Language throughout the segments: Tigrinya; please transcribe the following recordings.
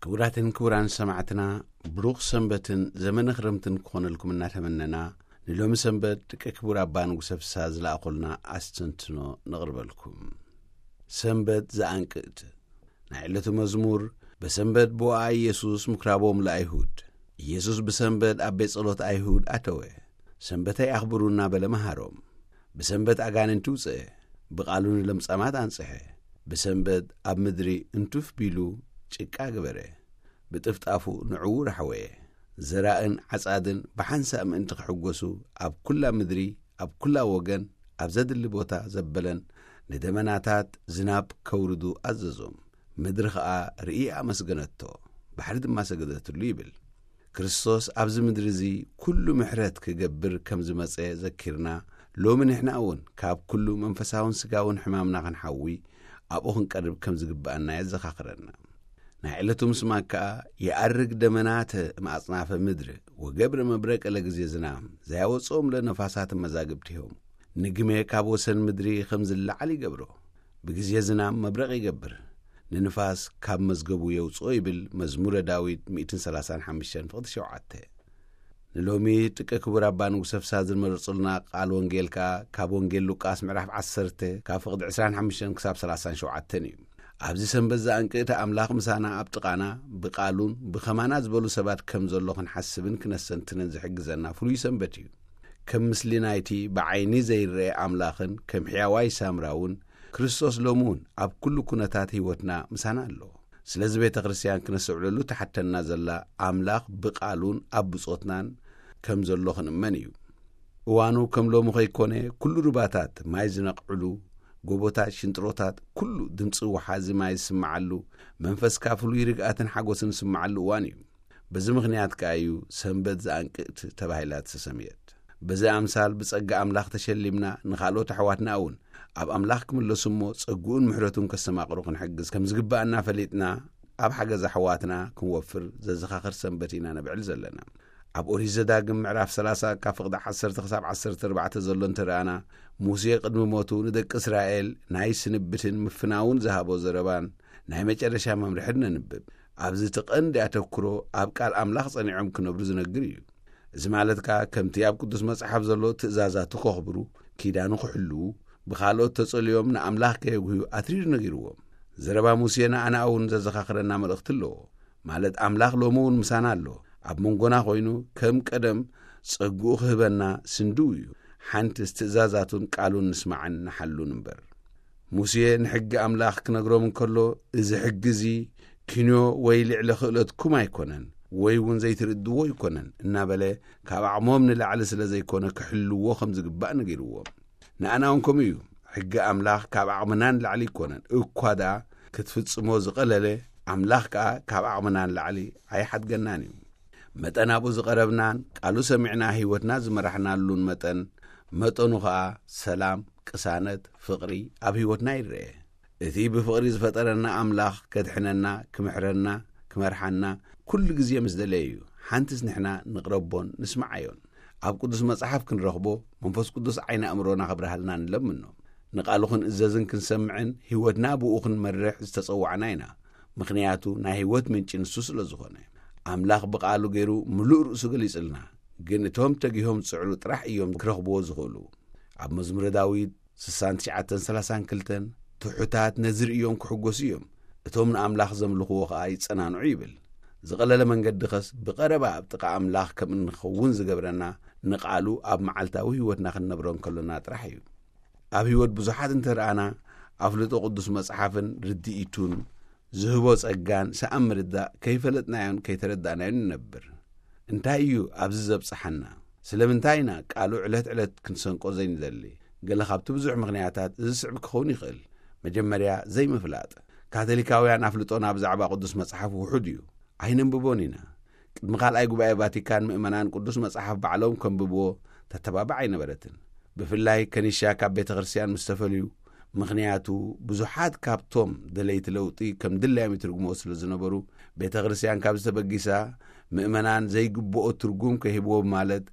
ክቡራትን ክቡራን ሰማዕትና፣ ብሩኽ ሰንበትን ዘመነ ክረምትን ክኾነልኩም እናተመነና፣ ንሎሚ ሰንበት ደቂ ክቡር ኣባ ንጉሰ ፍስሃ ዝለኣኹልና ኣስተንትኖ ነቕርበልኩም። ሰንበት ዘኣንቅእት። ናይ ዕለቱ መዝሙር። በሰንበት ብወኣ ኢየሱስ ምኩራቦም ለኣይሁድ። ኢየሱስ ብሰንበት ኣብ ቤት ጸሎት ኣይሁድ ኣተወ። ሰንበተይ ኣኽብሩ እናበለ መሃሮም። ብሰንበት ኣጋንንቲ ውጽአ። ብቓሉ ንለምጻማት ኣንጽሐ። ብሰንበት ኣብ ምድሪ እንትፍ ቢሉ ጭቃ ገበረ። ብጥፍጣፉ ንዕዉር ኣሕወየ። ዘራእን ዓጻድን ብሓንሳእ ምእንቲ ክሕጎሱ፣ ኣብ ኩላ ምድሪ፣ ኣብ ኩላ ወገን፣ ኣብ ዘድሊ ቦታ ዘበለን፣ ንደመናታት ዝናብ ከውርዱ ኣዘዞም። ምድሪ ኸኣ ርኢ ኣመስገነቶ፣ ባሕሪ ድማ ሰገደትሉ ይብል። ክርስቶስ ኣብዚ ምድሪ እዚ ኩሉ ምሕረት ክገብር ከም ዝመጸ ዘኪርና፣ ሎሚ ንሕና እውን ካብ ኩሉ መንፈሳውን ስጋውን ሕማምና ክንሓዊ፣ ኣብኡ ክንቀርብ ከም ዝግብኣና የዘኻኽረና። ናይ ዕለቱ ምስማዕ ከኣ፣ ይኣርግ ደመናተ እምኣጽናፈ ምድር፣ ወገብረ መብረቀ ለግዜ ዝናም፣ ዘያወጽኦም ለነፋሳት መዛግብቲሆም። ንግሜ ካብ ወሰን ምድሪ ከም ዝለዓል ይገብሮ። ብግዜ ዝናም መብረቕ ይገብር። ንንፋስ ካብ መዝገቡ የውጽኦ ይብል መዝሙረ ዳዊት ሚእትን ሰላሳን ሓሙሽተን ፍቕዲ ሸውዓተ። ንሎሚ ጥቂ ክቡር ኣባ ንጉሰ ፍስሃ ዝመረጹልና ቃል ወንጌል ከኣ ካብ ወንጌል ሉቃስ ምዕራፍ ዓሰርተ ካብ ፍቕዲ ዕስራን ሓሙሽተን ክሳብ ሰላሳን ሸውዓተን እዩ። ኣብዚ ሰንበት ዘኣንቅእቲ ኣምላኽ ምሳና ኣብ ጥቓና ብቃሉን ብኸማና ዝበሉ ሰባት ከም ዘሎ ክንሓስብን ክነስተንትንን ዝሕግዘና ፍሉይ ሰንበት እዩ። ከም ምስሊ ናይቲ ብዓይኒ ዘይረአ ኣምላኽን ከም ሕያዋይ ሳምራ እውን ክርስቶስ ሎሚ እውን ኣብ ኩሉ ኩነታት ህይወትና ምሳና ኣሎ። ስለዚ ቤተ ክርስቲያን ክነስተውዕለሉ ትሓተና ዘላ ኣምላኽ ብቃሉን ኣብ ብጾትናን ከም ዘሎ ክንእመን እዩ። እዋኑ ከም ሎሚ ከይኮነ ኩሉ ሩባታት ማይ ዝነቕዕሉ፣ ጎቦታት፣ ሽንጥሮታት፣ ኩሉ ድምጺ ወሓዚ ማይ ዝስምዓሉ፣ መንፈስካ ፍሉይ ርግኣትን ሓጎስን ዝስምዓሉ እዋን እዩ። በዚ ምኽንያት ከኣ እዩ ሰንበት ዘኣንቅእት ተባሂላ ዝተሰምየት። በዚ ኣምሳል ብጸጋ ኣምላኽ ተሸሊምና ንኻልኦት ኣሕዋትና እውን ኣብ ኣምላኽ ክምለሱ እሞ ጸግኡን ምሕረቱን ከስተማቕሩ ክንሕግዝ ከም ዝግብኣና ፈሊጥና ኣብ ሓገዝ ኣሕዋትና ክንወፍር ዘዘኻኽር ሰንበት ኢና ነብዕል ዘለና። ኣብ ኦሪት ዘዳግም ምዕራፍ ሰላሳ ካብ ፍቕዲ ዓሰርተ ክሳብ ዓሰርተ ኣርባዕተ ዘሎ እንተ ረኣና፣ ሙሴ ቅድሚ ሞቱ ንደቂ እስራኤል ናይ ስንብትን ምፍናውን ዝሃቦ ዘረባን ናይ መጨረሻ መምርሕን ነንብብ። ኣብዚ እቲ ቀንዲ ኣተኩሮ ኣብ ቃል ኣምላኽ ጸኒዖም ክነብሩ ዝነግር እዩ። እዚ ማለት ከኣ ከምቲ ኣብ ቅዱስ መጽሓፍ ዘሎ ትእዛዛቱ ከኽብሩ፣ ኪዳኑ ክሕልዉ፣ ብኻልኦት ተጸልዮም ንኣምላኽ ከየጉህዩ ኣትሪሩ ነጊርዎም። ዘረባ ሙሴ ንኣና እውን ዘዘኻኽረና መልእኽቲ ኣለዎ። ማለት ኣምላኽ ሎሚ እውን ምሳና ኣሎ። ኣብ መንጎና ኮይኑ ከም ቀደም ጸግኡ ክህበና ስንድው እዩ። ሓንትስ ትእዛዛቱን ቃሉን ንስማዕን ንሓሉን እምበር። ሙሴ ንሕጊ ኣምላኽ ክነግሮም እንከሎ፣ "እዚ ሕጊ እዚ ኪንዮ ወይ ልዕሊ ክእለትኩም ኣይኮነን፣ ወይ እውን ዘይትርድዎ ኣይኮነን" እናበለ ካብ ዓቕሞም ንላዕሊ ስለ ዘይኮነ ክሕልዎ ከም ዝግባእ ነጊርዎም። ንኣና እውን ከምኡ እዩ። ሕጊ ኣምላኽ ካብ ዓቕምና ንላዕሊ ኣይኮነን፣ እኳ ደኣ ክትፍጽሞ ዝቐለለ፣ ኣምላኽ ከኣ ካብ ዓቕምና ንላዕሊ ኣይሓድገናን እዩ። መጠን ኣብኡ ዝቐረብናን ቃሉ ሰሚዕና ህይወትና ዝመራሕናሉን መጠን፣ መጠኑ ኸኣ ሰላም፣ ቅሳነት፣ ፍቕሪ ኣብ ህይወትና ይረአ። እቲ ብፍቕሪ ዝፈጠረና ኣምላኽ ከድሕነና፣ ክምሕረና፣ ክመርሓና ኩሉ ግዜ ምስ ደለየ እዩ። ሓንትስ ንሕና ንቕረቦን ንስምዓዮን። ኣብ ቅዱስ መጽሓፍ ክንረኽቦ፣ መንፈስ ቅዱስ ዓይኒ ኣእምሮና ክብርሃልና ንለምኖ። ንቓሉ ክንእዘዝን ክንሰምዕን ህይወትና ብኡ ክንመርሕ ዝተጸዋዕና ኢና። ምኽንያቱ ናይ ህይወት ምንጪ ንሱ ስለ ዝኾነ። ኣምላኽ ብቓሉ ገይሩ ምሉእ ርእሱ ገሊጽልና። ግን እቶም ተጊሆም ዝጽዕሩ ጥራሕ እዮም ክረኽብዎ ዝኽእሉ። ኣብ መዝሙረ ዳዊት ስሳን ትሽዓተን ሰላሳን ክልተን፣ "ትሑታት ነዚ ርእዮም ክሕጎሱ እዮም፣ እቶም ንኣምላኽ ዘምልኽዎ ኸኣ ይጸናንዑ" ይብል። ዝቐለለ መንገዲ ኸስ ብቐረባ ኣብ ጥቓ ኣምላኽ ከም እንኸውን ዝገብረና ንቓሉ ኣብ መዓልታዊ ህይወትና ክንነብሮ እንከሎና ጥራሕ እዩ። ኣብ ህይወት ብዙሓት እንተ ረኣና፣ ኣፍልጦ ቅዱስ መጽሓፍን ርድኢቱን ዝህቦ ጸጋን ሰኣን ምርዳእ ከይፈለጥናዮን ከይተረዳእናዮን ንነብር። እንታይ እዩ ኣብዚ ዘብጽሓና? ስለምንታይ ኢና ቃሉ ዕለት ዕለት ክንሰንቆ ዘይንደሊ? ገለ ካብቲ ብዙሕ ምኽንያታት እዚ ስዕብ ክኸውን ይኽእል። መጀመርያ፣ ዘይምፍላጥ። ካቶሊካውያን ኣፍልጦና ብዛዕባ ቅዱስ መጽሓፍ ውሑድ እዩ። ኣይነንብቦን ኢና። ቅድሚ ካልኣይ ጉባኤ ቫቲካን ምእመናን ቅዱስ መጽሓፍ ባዕሎም ከንብብዎ ተተባባዕ ኣይነበረትን። ብፍላይ ከኒሻ ካብ ቤተ ክርስቲያን ምስ ተፈልዩ፣ ምኽንያቱ ብዙሓት ካብቶም ደለይቲ ለውጢ ከም ድላዮም ይትርጉምዎ ስለ ዝነበሩ፣ ቤተ ክርስቲያን ካብዚ ተበጊሳ ምእመናን ዘይግብኦ ትርጉም ከሂብዎ ማለት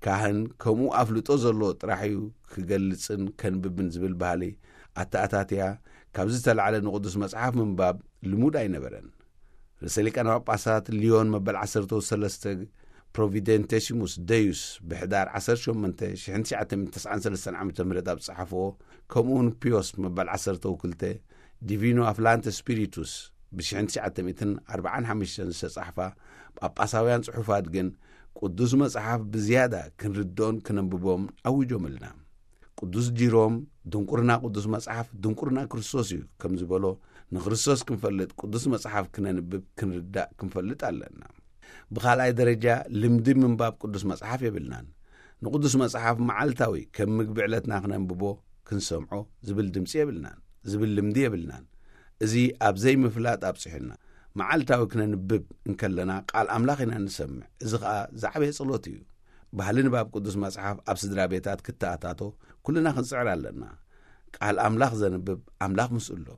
ካህን ከምኡ ኣፍልጦ ዘለዎ ጥራሕ እዩ ክገልጽን ከንብብን ዝብል ባህሊ ኣተኣታትያ፣ ካብዚ ዝተላዕለ ንቅዱስ መጽሓፍ ምንባብ ልሙድ ኣይነበረን። ርእሰ ሊቃነ ጳጳሳት ሊዮን መበል ዓሰርተ ሰለስተ ፕሮቪደንቴሲሙስ ደዩስ ብሕዳር ዓሰርተ ሸሞንተ ሺሕ ትሽዓተ ሚእቲ ተስዓን ሰለስተን ዓመተ ምህረት ኣብ ዝጸሓፍዎ፣ ከምኡውን ፒዮስ መበል ዓሰርተ ክልተ ዲቪኖ ኣፍላንተ ስፒሪቱስ ብሽሕን ትሽዓተ ሚእትን ኣርባዓን ሓሙሽተን ዝተጻሕፋ ጳጳሳውያን ጽሑፋት ግን፣ ቅዱስ መጽሓፍ ብዝያዳ ክንርድኦን ክነንብቦም ኣዊጆምልና። ቅዱስ ጂሮም፣ ድንቁርና ቅዱስ መጽሓፍ ድንቁርና ክርስቶስ እዩ ከም ዝበሎ፣ ንክርስቶስ ክንፈልጥ ቅዱስ መጽሓፍ ክነንብብ ክንርዳእ ክንፈልጥ ኣለና። ብኻልኣይ ደረጃ፣ ልምዲ ምንባብ ቅዱስ መጽሓፍ የብልናን። ንቅዱስ መጽሓፍ መዓልታዊ ከም ምግቢ ዕለትና ክነንብቦ፣ ክንሰምዖ ዝብል ድምጺ የብልናን፣ ዝብል ልምዲ የብልናን። እዚ ኣብ ዘይምፍላጥ ኣብጽሑና። መዓልታዊ ክነንብብ እንከለና ቃል ኣምላኽ ኢና ንሰምዕ። እዚ ኸኣ ዝዓበየ ጸሎት እዩ። ባህሊ ንባብ ቅዱስ መጽሓፍ ኣብ ስድራ ቤታት ክተኣታቶ ኩልና ክንጽዕር ኣለና። ቃል ኣምላኽ ዘንብብ ኣምላኽ ምስኡ ኣሎ።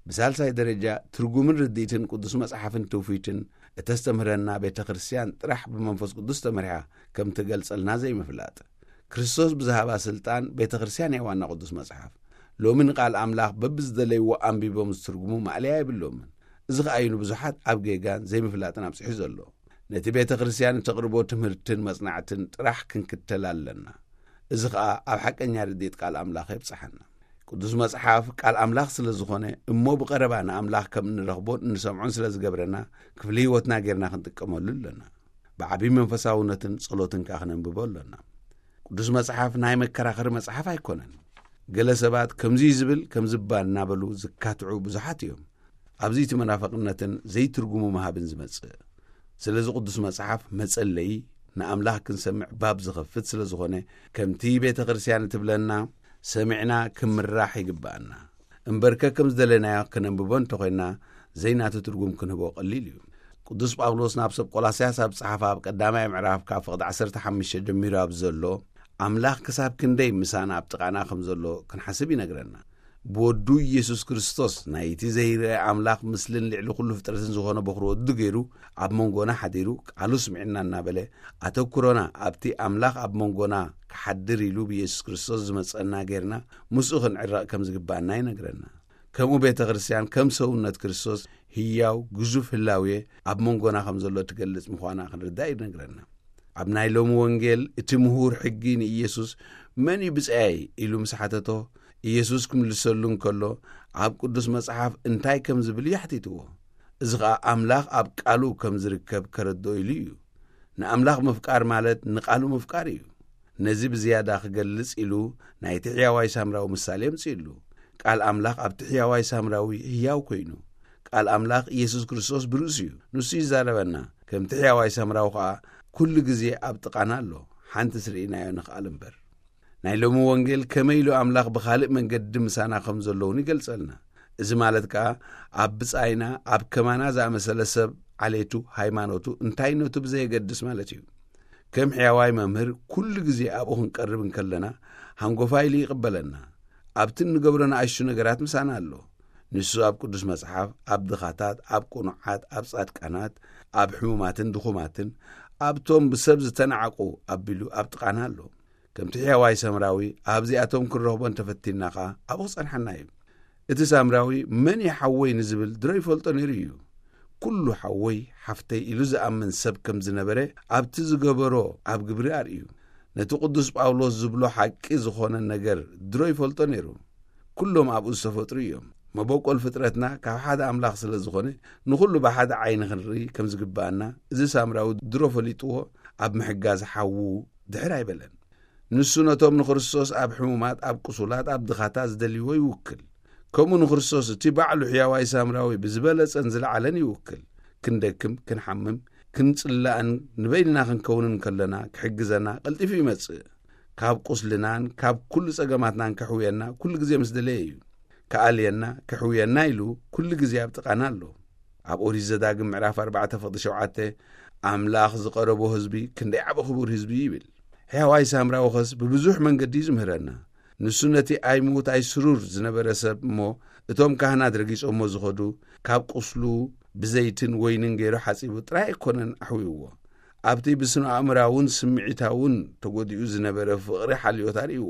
ብሳልሳይ ደረጃ፣ ትርጉምን ርድኢትን ቅዱስ መጽሓፍን ትውፊትን እተስተምህረና ቤተ ክርስቲያን ጥራሕ ብመንፈስ ቅዱስ ተመሪሓ ከም ትገልጸልና ዘይምፍላጥ። ክርስቶስ ብዝሃባ ስልጣን ቤተ ክርስቲያን እያ ዋና ቅዱስ መጽሓፍ። ሎሚ ንቃል ኣምላኽ በብዝደለይዎ ኣንቢቦም ዝትርጉሙ ማእለያ የብሎምን። እዚ ኸኣ እዩ ንብዙሓት ኣብ ጌጋን ዘይምፍላጥን ኣብጺሑ ዘሎ። ነቲ ቤተ ክርስቲያን እተቕርቦ ትምህርትን መጽናዕትን ጥራሕ ክንክተል ኣለና። እዚ ኸኣ ኣብ ሓቀኛ ርድኢት ቃል ኣምላኽ የብጽሓና። ቅዱስ መጽሓፍ ቃል ኣምላኽ ስለ ዝኾነ፣ እሞ ብቐረባ ንኣምላኽ ከም እንረኽቦን እንሰምዖን ስለ ዝገብረና፣ ክፍሊ ህይወትና ጌርና ክንጥቀመሉ ኣለና። ብዓብዪ መንፈሳውነትን ጸሎትን ከኣ ክነንብቦ ኣለና። ቅዱስ መጽሓፍ ናይ መከራኸሪ መጽሓፍ ኣይኮነን። ገለ ሰባት ከምዚ እዩ ዝብል፣ ከምዚ እባ እናበሉ ዝካትዑ ብዙሓት እዮም። ኣብዚ እቲ መናፍቕነትን ዘይትርጉሙ ምሃብን ዝመጽእ። ስለዚ ቅዱስ መጽሓፍ መጸለዪ፣ ንኣምላኽ ክንሰምዕ ባብ ዝኸፍት ስለ ዝኾነ፣ ከምቲ ቤተ ክርስቲያን እትብለና ሰሚዕና ክምራሕ ይግብኣና። እምበርከ ከም ዝደለናዮ ክነንብቦ እንተኾይንና፣ ዘይናቱ ትርጉም ክንህቦ ቀሊል እዩ። ቅዱስ ጳውሎስ ናብ ሰብ ቆላስያስ ኣብ ጸሓፋ ኣብ ቀዳማይ ምዕራፍ ካብ ፍቕዲ ዓሰርተ ሓሙሽተ ጀሚሩ ኣብ ዘሎ፣ ኣምላኽ ክሳብ ክንደይ ምሳና ኣብ ጥቓና ከም ዘሎ ክንሓስብ ይነግረና። ብወዱ ኢየሱስ ክርስቶስ ናይቲ ዘይረአ ኣምላኽ ምስልን ልዕሊ ኩሉ ፍጥረትን ዝኾነ በኹሪ ወዱ ገይሩ ኣብ መንጎና ሓዲሩ ቃሉ ስሚዕና እናበለ ኣተኩሮና ኣብቲ ኣምላኽ ኣብ መንጎና ክሓድር ኢሉ ብኢየሱስ ክርስቶስ ዝመጸና ጌርና ምስኡ ክንዕረቕ ከም ዝግባኣና ይነግረና። ከምኡ ቤተ ክርስቲያን ከም ሰውነት ክርስቶስ ህያው ግዙፍ ህላዌ ኣብ መንጎና ከም ዘሎ ትገልጽ ምዃና ክንርዳእ ይነግረና። ኣብ ናይ ሎሚ ወንጌል እቲ ምሁር ሕጊ ንኢየሱስ "መን እዩ ብጻየይ?" ኢሉ ምስ ሓተቶ፣ ኢየሱስ ክምልሰሉ እንከሎ፣ ኣብ ቅዱስ መጽሓፍ እንታይ ከም ዝብል እዩ ሓቲትዎ። እዚ ኸኣ ኣምላኽ ኣብ ቃሉ ከም ዝርከብ ከረድኦ ኢሉ እዩ። ንኣምላኽ ምፍቃር ማለት ንቃሉ ምፍቃር እዩ። ነዚ ብዝያዳ ክገልጽ ኢሉ ናይቲ ሕያዋይ ሳምራዊ ምሳሌ ኣምጺእሉ። ቃል ኣምላኽ ኣብቲ ሕያዋይ ሳምራዊ ህያው ኮይኑ፣ ቃል ኣምላኽ ኢየሱስ ክርስቶስ ብርእሱ እዩ። ንሱ ይዛረበና። ከምቲ ሕያዋይ ሳምራዊ ኸኣ ኩሉ ግዜ ኣብ ጥቓና ኣሎ። ሓንትስ ርኢናዮ ንኽኣል እምበር። ናይ ሎሚ ወንጌል ከመይ ኢሉ ኣምላኽ ብኻልእ መንገዲ ምሳና ከም ዘለውን ይገልጸልና። እዚ ማለት ከኣ ኣብ ብጻይና፣ ኣብ ከማና ዝኣመሰለ ሰብ፣ ዓሌቱ፣ ሃይማኖቱ፣ እንታይነቱ ብዘየገድስ ማለት እዩ። ከም ሕያዋይ መምህር ኩሉ ግዜ ኣብኡ ክንቀርብ እንከለና፣ ሃንጎፋይ ኢሉ ይቕበለና። ኣብቲ እንገብሮ ንኣሽቱ ነገራት ምሳና ኣሎ። ንሱ ኣብ ቅዱስ መጽሓፍ፣ ኣብ ድኻታት፣ ኣብ ቅኑዓት፣ ኣብ ጻድቃናት፣ ኣብ ሕሙማትን ድኹማትን፣ ኣብቶም ብሰብ ዝተናዕቁ ኣቢሉ ኣብ ጥቓና ኣሎ። ከምቲ ሕያዋይ ሰምራዊ ኣብዚኣቶም ክንረኽቦ እንተፈቲንና ኸኣ ኣብኡ ክጸንሓና እዩ። እቲ ሳምራዊ "መን እዩ ሓወይ?" ንዝብል ድሮ ይፈልጦ ነይሩ እዩ። ኩሉ ሓወይ ሓፍተይ ኢሉ ዝኣምን ሰብ ከም ዝነበረ ኣብቲ ዝገበሮ ኣብ ግብሪ ኣርእዩ። ነቲ ቅዱስ ጳውሎስ ዝብሎ ሓቂ ዝኾነ ነገር ድሮ ይፈልጦ ነይሩ። ኩሎም ኣብኡ ዝተፈጥሩ እዮም። መበቆል ፍጥረትና ካብ ሓደ ኣምላኽ ስለ ዝኾነ፣ ንኹሉ ብሓደ ዓይኒ ክንርኢ ከም ዝግብኣና እዚ ሳምራዊ ድሮ ፈሊጥዎ ኣብ ምሕጋዝ ሓዉ ድሕር ኣይበለን። ንሱ ነቶም ንክርስቶስ ኣብ ሕሙማት፣ ኣብ ቅሱላት፣ ኣብ ድኻታት ዝደልይዎ ይውክል። ከምኡ ንክርስቶስ እቲ ባዕሉ ሕያዋይ ሳምራዊ ብዝበለጸን ዝለዓለን ይውክል። ክንደክም፣ ክንሓምም፣ ክንጽላእን ንበይንና ክንከውንን ከለና ክሕግዘና ቀልጢፉ ይመጽእ። ካብ ቁስልናን ካብ ኩሉ ጸገማትናን ከሕውየና ኩሉ ግዜ ምስ ደለየ እዩ። ክኣልየና፣ ከሕውየና ኢሉ ኩሉ ግዜ ኣብ ጥቓና ኣሎ። ኣብ ኦሪት ዘዳግም ምዕራፍ ኣርባዕተ ፍቕዲ ሸውዓተ፣ "ኣምላኽ ዝቐረቦ ህዝቢ ክንደይ ዓቢ ክቡር ህዝቢ" ይብል። ሕያዋይ ሳምራዊ ኸስ ብብዙሕ መንገዲ እዩ ዝምህረና። ንሱ ነቲ ኣይምዉት ኣይስሩር ዝነበረ ሰብ እሞ እቶም ካህናት ረጊጾሞ ዝኸዱ፣ ካብ ቁስሉ ብዘይትን ወይንን ገይሩ ሓጺቡ ጥራይ ኣይኮነን ኣሕዊእዎ። ኣብቲ ብስነ ኣእምራውን ስምዒታውን ተጎዲኡ ዝነበረ ፍቕሪ ሓልዮት ኣርእይዎ።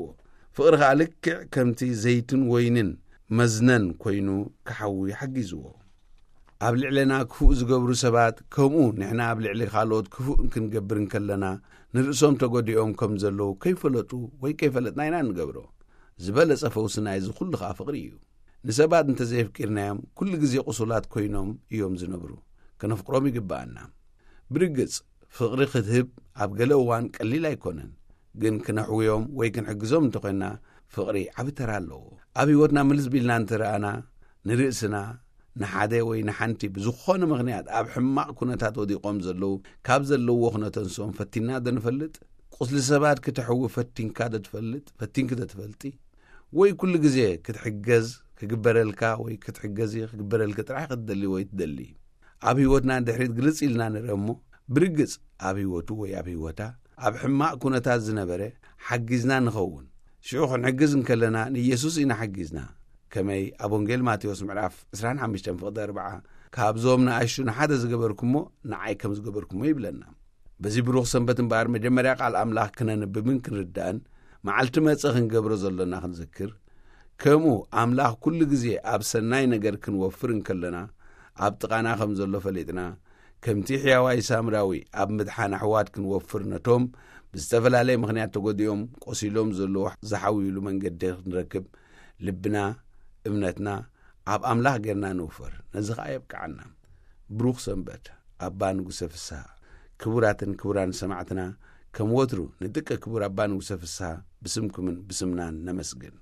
ፍቕሪ ኸኣ ልክዕ ከምቲ ዘይትን ወይንን መዝነን ኮይኑ ክሓዊ ሓጊዝዎ። ኣብ ልዕለና ክፉእ ዝገብሩ ሰባት ከምኡ ንሕና ኣብ ልዕሊ ካልኦት ክፉእ ክንገብር እንከለና ንርእሶም ተጎዲኦም ከም ዘለዉ ከይፈለጡ ወይ ከይፈለጥና ኢና እንገብሮ። ዝበለጸ ፈውሲ ናይዚ ኩሉ ኸኣ ፍቕሪ እዩ። ንሰባት እንተዘየፍቂርናዮም ኩሉ ግዜ ቁሱላት ኮይኖም እዮም ዝነብሩ። ከነፍቅሮም ይግብኣና። ብርግጽ ፍቕሪ ክትህብ ኣብ ገለ እዋን ቀሊል ኣይኮነን። ግን ክነሕውዮም ወይ ክንሕግዞም እንተኾይና ፍቕሪ ዓቢ ተራ ኣለዎ። ኣብ ህይወትና ምልስ ቢልና እንተረኣና ንርእስና ንሓደ ወይ ንሓንቲ ብዝኾነ ምኽንያት ኣብ ሕማቕ ኩነታት ወዲቖም ዘለዉ ካብ ዘለውዎ ክነተንስኦም ፈቲና ዶ ንፈልጥ? ቁስሊ ሰባት ክተሕዊ ፈቲንካ ዶ ትፈልጥ? ፈቲንኪ ዶ ትፈልጢ? ወይ ኩሉ ግዜ ክትሕገዝ ክግበረልካ ወይ ክትሕገዚ ክግበረልኪ ጥራሕ ክትደሊ ወይ ትደሊ? ኣብ ህይወትና ድሕሪት ግልጽ ኢልና ንርአ እሞ ብርግጽ ኣብ ህይወቱ ወይ ኣብ ህይወታ ኣብ ሕማቕ ኩነታት ዝነበረ ሓጊዝና ንኸውን። ሽዑ ክንሕግዝ እንከለና ንኢየሱስ ኢና ሓጊዝና። ከመይ ኣብ ወንጌል ማቴዎስ ምዕራፍ ዕስራን ሓሙሽተን ፍቕዲ ኣርብዓ ካብዞም ንኣሽቱ ንሓደ ዝገበርኩሞ ንዓይ ከም ዝገበርኩሞ ይብለና። በዚ ብሩኽ ሰንበት እምበኣር መጀመርያ ቃል ኣምላኽ ክነንብብን ክንርዳእን መዓልቲ መጸ ክንገብሮ ዘሎና ክንዝክር፣ ከምኡ ኣምላኽ ኩሉ ግዜ ኣብ ሰናይ ነገር ክንወፍር እንከለና ኣብ ጥቓና ከም ዘሎ ፈሊጥና ከምቲ ሕያዋይ ሳምራዊ ኣብ ምድሓን ኣሕዋት ክንወፍር ነቶም ብዝተፈላለየ ምኽንያት ተጎዲኦም ቆሲሎም ዘለዉ ዝሓውዩሉ መንገዲ ክንረክብ ልብና እምነትና ኣብ ኣምላኽ ጌርና ንውፈር። ነዚ ኸኣ የብቅዓና። ብሩኽ ሰንበት ኣባ ንጉሰ ፍስሃ። ክቡራትን ክቡራን ሰማዕትና ከም ወትሩ ንድቂ ክቡር ኣባ ንጉሰ ፍስሃ ብስምኩምን ብስምናን ነመስግን።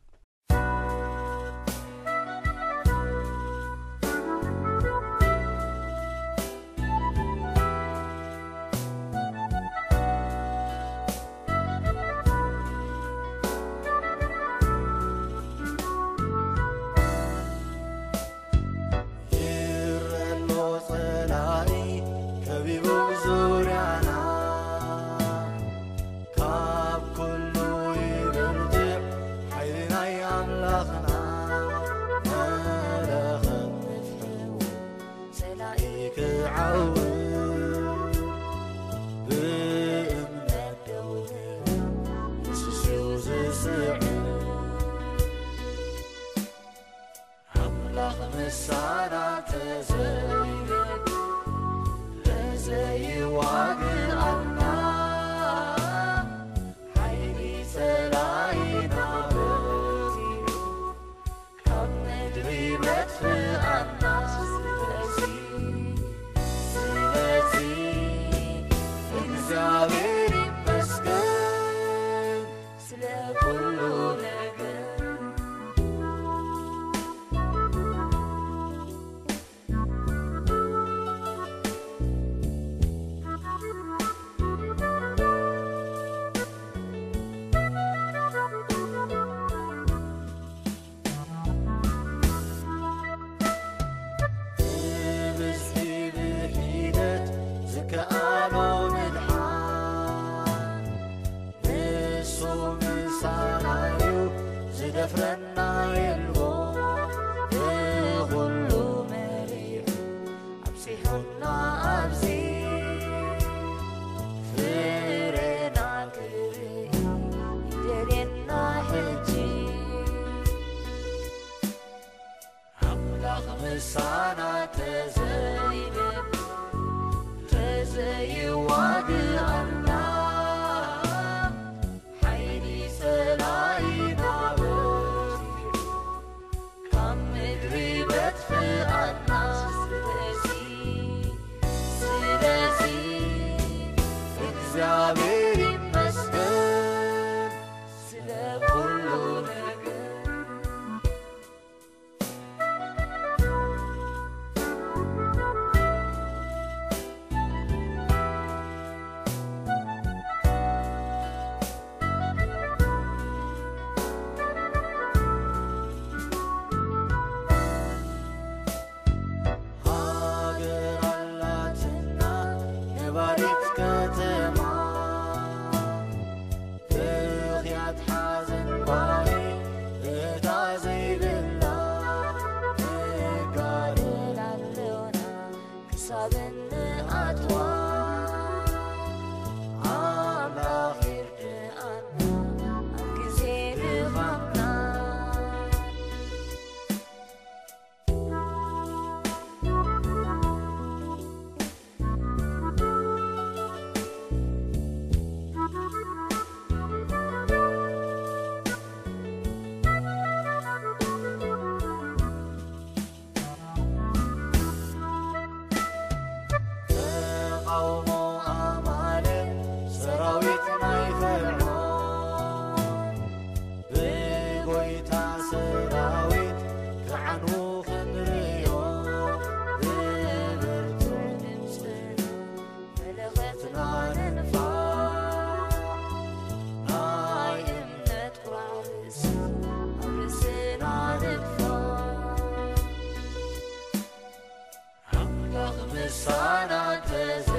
ይረሎ ጸላኢ ከቢቡ ዙርያና ካብ ኩሉ ይብርትዕ ሓይሊ ናይ ኣምላኽና መለኸት ንፍሕው ጸላኢ ክዓው ብእምነት ደው ንስስው ዝስዕብ ኣምላኽ ምሳና ተዘይረድ ተዘይዋግኣና ሓይሊ ጸላኢና በዚሑ ካብ ምድሪ መጥፍኣና ስለዚ ስለዚ እግዚኣብሔር ይመስገን ስለ ኩሉ ነገር ተቃውሞ ኣማልእ ሰራዊት ናይ ፍርዖን ብጎይታ ሰራዊት ክዓኑ ክንርእዮ ብብርቱዕ ድምፅና መለኸትና ንንፋ ናይ እምነት ቋርስ ኣብ ርእስና ንድፋ ኣምላኽ ምሳና ተዘ